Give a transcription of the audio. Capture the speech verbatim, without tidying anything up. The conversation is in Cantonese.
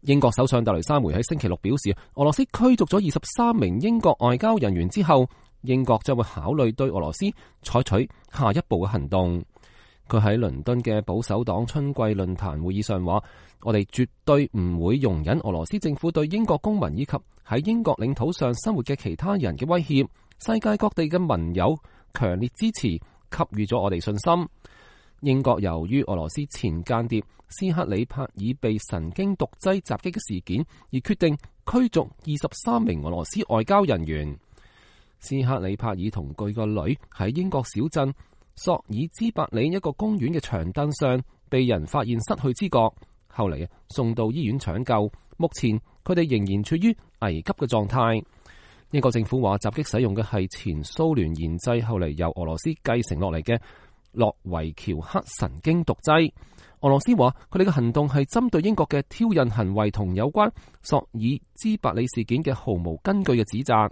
英國首相特蕾莎梅喺星期六表示，俄羅斯驅逐咗二十三名英國外交人員之後，英國將會考慮對俄羅斯採取下一步嘅行動。佢喺倫敦嘅保守黨春季論壇會議上話，我哋絕對唔會容忍俄羅斯政府對英國公民以及喺英國領土上生活嘅其他人嘅威脅。世界各地嘅盟友強烈支持，給予咗我哋信心。英國由於俄羅斯前間諜斯克里帕爾被神經毒劑襲擊嘅事件，而決定驅逐二十三名俄羅斯外交人員。斯克里帕爾同佢個女喺英國小鎮索爾茲伯里一個公園嘅長凳上被人發現失去知覺，後嚟送到醫院搶救，目前佢哋仍然處於危急嘅狀態。英國政府話襲擊使用嘅係前蘇聯研製，後嚟由俄羅斯繼承落嚟嘅諾維喬克神經毒劑。俄羅斯話佢哋嘅行動係針對英國嘅挑釁行為同有關索爾茲伯里事件嘅毫無根據嘅指責。